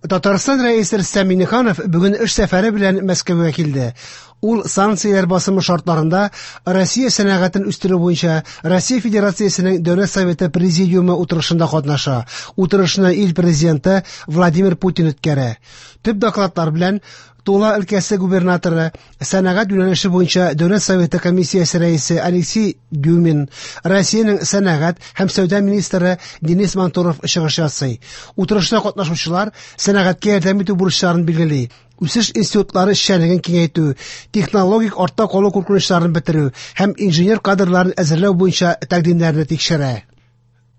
Татарстан Рәисе Рөстәм Миңнеханов бүген эш сәфәре белән Мәскәүгә килде. Ул санкцияләр басымы шартларында Россия сәнәгатен үстерү буенча Россия Федерациясенең Дәүләт Советы Президиумы утырышында катнаша. Утырышны ил президенты Владимир Путин үткәрә. Төп докладлар белән Тула өлкәсе губернаторы, сәнәгать юнәлеше буенча Дәүләт Советы комиссиясе рәисе Алексей Дюмин, Россиянең сәнәгать һәм сәүдә министры Денис Мантуров чыгыш ясый. Утырышта катнашучылар сәнәгатькә ярдәм итү бурычларын билгели. Үсеш институтлары эшчәнлеген киңәйтү, технологик артта калу куркынычларын бетерү һәм инженер кадрларын әзерләү буенча тәкъдимнәрне тикшерә.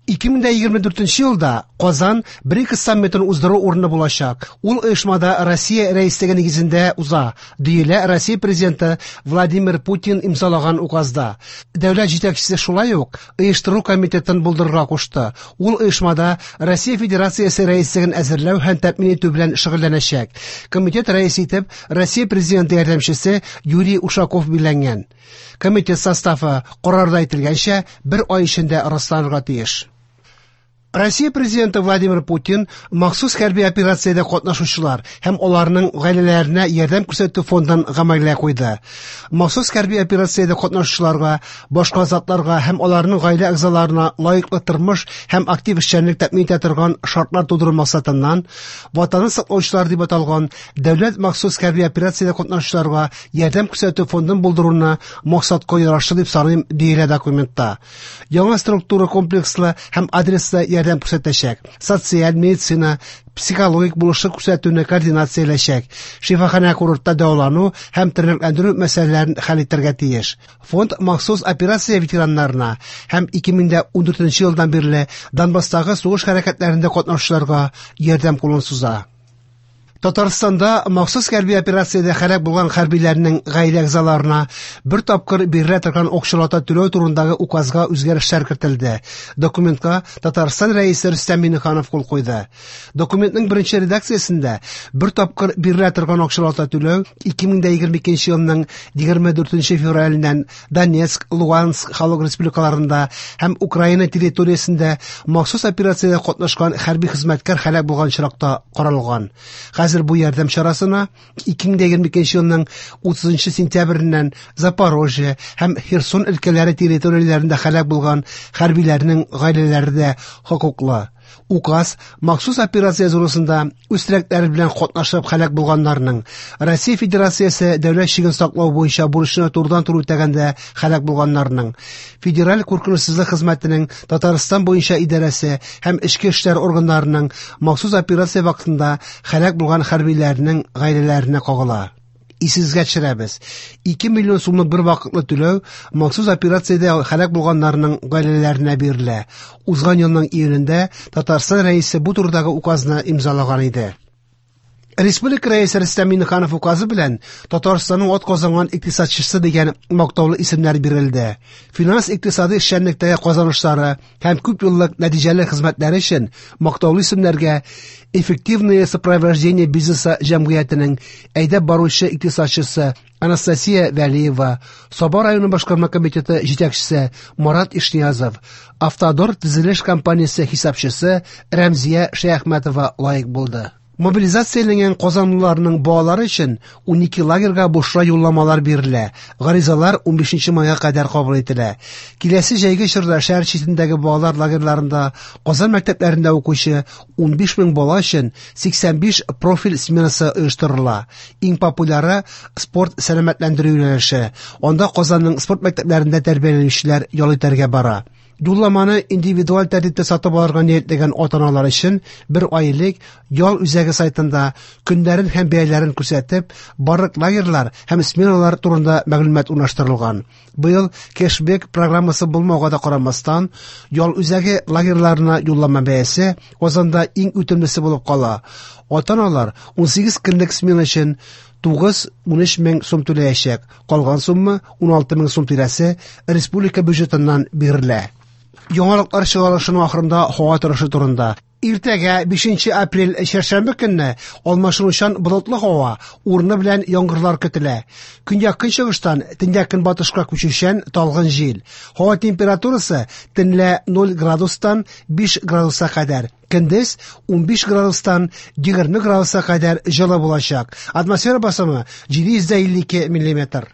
2024 елда Казан БРИКС саммитын уздыру урыны булачак. Ул оешмада Россия рәислеге нигезендә уза, диелә Россия президенты Владимир Путин имзалаган указда. Дәүләт җитәкчесе шулай ук оештыру комитетын булдырырга кушты. Ул оешмада Россия Федерациясе рәислеген әзерләү һәм тәэмин итү белән шөгыльләнәчәк. Комитет рәисе итеп Россия президенты ярдәмчесе Юрий Ушаков билгеләнгән. Комитет составы карарда әйтелгәнчә, бер ай эчендә расланырга тиеш. Россия президенты Владимир Путин махсус хәрби операциядә катнашучылар һәм аларның гаиләләренә ярдәм күрсәтү фондын гамәлгә куйды. Махсус хәрби операциядә катнашучыларга, башка затларга һәм аларның гаилә әгъзаларына лаеклы тормыш һәм актив эшчәнлек тәэмин итә торган шартлар тудыру максатыннан Ватанны саклаучылар дип аталган дәүләт махсус хәрби операциядә катнашучыларга ярдәм күрсәтү фондын булдыруны максатка ярашлы дип саныйм, диелә документта. Яңа структура комплекслы һәм адреслы ярдәм күрсәтәчәк. Социаль, медицина, психологик булышлык күрсәтүне координацияләчәк. Шифаханә курортта дәвалану һәм тернәкләндерү мәсьәләләрен хәл итәргә тиеш. Фонд махсус операция ветераннарына һәм 2014 елдан бирле Донбасстагы сугыш хәрәкәтләрендә катнашучыларга ярдәм кулын суза. Татарстанда махсус хәрби операциядә һәлак булган хәрбиләрнең гаилә әгъзаларына бер тапкыр бирелә торган акчалата түләү турындагы указга үзгәрешләр кертелде. Документка Татарстан Рәисе Рөстәм Миңнеханов кул куйды. Документның беренче редакциясендә бер тапкыр бирелә торган акчалата түләү 2022 елның 24 февраленнән Донецк, Луганск халык республикаларында һәм Украина территориясендә махсус операциядә катнашкан хәрби хезмәткәр һәлак булган очракта каралган. Хәзер бу ярдәм чарасына 2022 елның 30 сентябреннән Запорожье һәм Херсон өлкәләре территорияләрендә һәлак булган хәрбиләрнең гаиләләре дә хокуклы. Указ махсус операция зонасында үз теләкләре белән катнашып һәлак булганнарның, Россия Федерациясе дәүләт чиген саклау буенча бурычны турыдан-туры үтәгәндә һәлак булганнарның, Федераль куркынычсызлык хезмәтенең Татарстан буенча идарәсе һәм эчке эшләр органнарының махсус операция вакытында һәлак булган хәрбиләрнең гаиләләренә кагыла. Исегезгә төшерәбез. 2 миллион сумлык бер вакытлы түләү махсус операциядә һәлак булганнарның гаиләләренә бирелә. Узган елның июнендә Татарстан Рәисе бу турыдагы указны имзалаган иде. Республика Рәисе Рөстәм Миңнеханов указы белән Татарстанның атказанган икътисадчысы дигән мактаулы исемнәр бирелде. Финанс-икътисади эшчәнлектәге казанышлары һәм күп еллык нәтиҗәле хезмәтләре өчен мактаулы исемнәргә Эффективное сопровождение бизнеса җәмгыятенең әйдәп баручы икътисадчысы Анастасия Вәлиева, Саба районы башкарма комитеты җитәкчесе Марат Ишниязов, Автодор төзелеш компаниясе хисапчысы Рәмзия Шәяхмәтова лаек булды. Мобилизацияләнгән казанлыларның балалары өчен 12 лагерьга бушлай юлламалар бирелә. Гаризалар 15 майга кадәр кабул ителә. Киләсе җәйге чорда шәһәр читендәге балалар лагерьларында Казан мәктәпләрендә укучы 15 мең бала өчен 85 профиль сменасы оештырыла. Иң популяры спорт сәламәтләндерү юнәлеше. Анда Казанның спорт мәктәпләрендә тәрбияләнүчеләр ял итәргә бара. Юлламаны индивидуаль тәртиптә сатып алырга ниятләгән ата-аналар өчен бер ай элек ял үзәге сайтында көннәрен һәм бәяләрен күрсәтеп, барлык лагерьлар һәм сменалар турында мәгълүмат урнаштырылган. Быел кэшбэк программасы булмауга да карамастан, ял үзәге лагерьларына юллама бәясе Казанда иң үтемлесе булып кала. Ата-аналар 18 көнлек смена өчен 9-13 мең сум түләячәк. Калган сумма 16 мең сум тирәсе республика бюджетыннан бирелә. Яңалыклар чыгарылышының ахырында һава торышы турында. Иртәгә 5 апрель чәршәмбе көнне алмашынучан болытлы һава, урыны белән яңгырлар көтелә. Көньяк-көнчыгыштан төньяк-көнбатышка күчүчән талгын җил. Һава температурасы төнлә 0 градустан 5 градуска кадәр, көндез 15 градустан 20 градуска кадәр җылы булачак. Атмосфера басымы 752 миллиметр.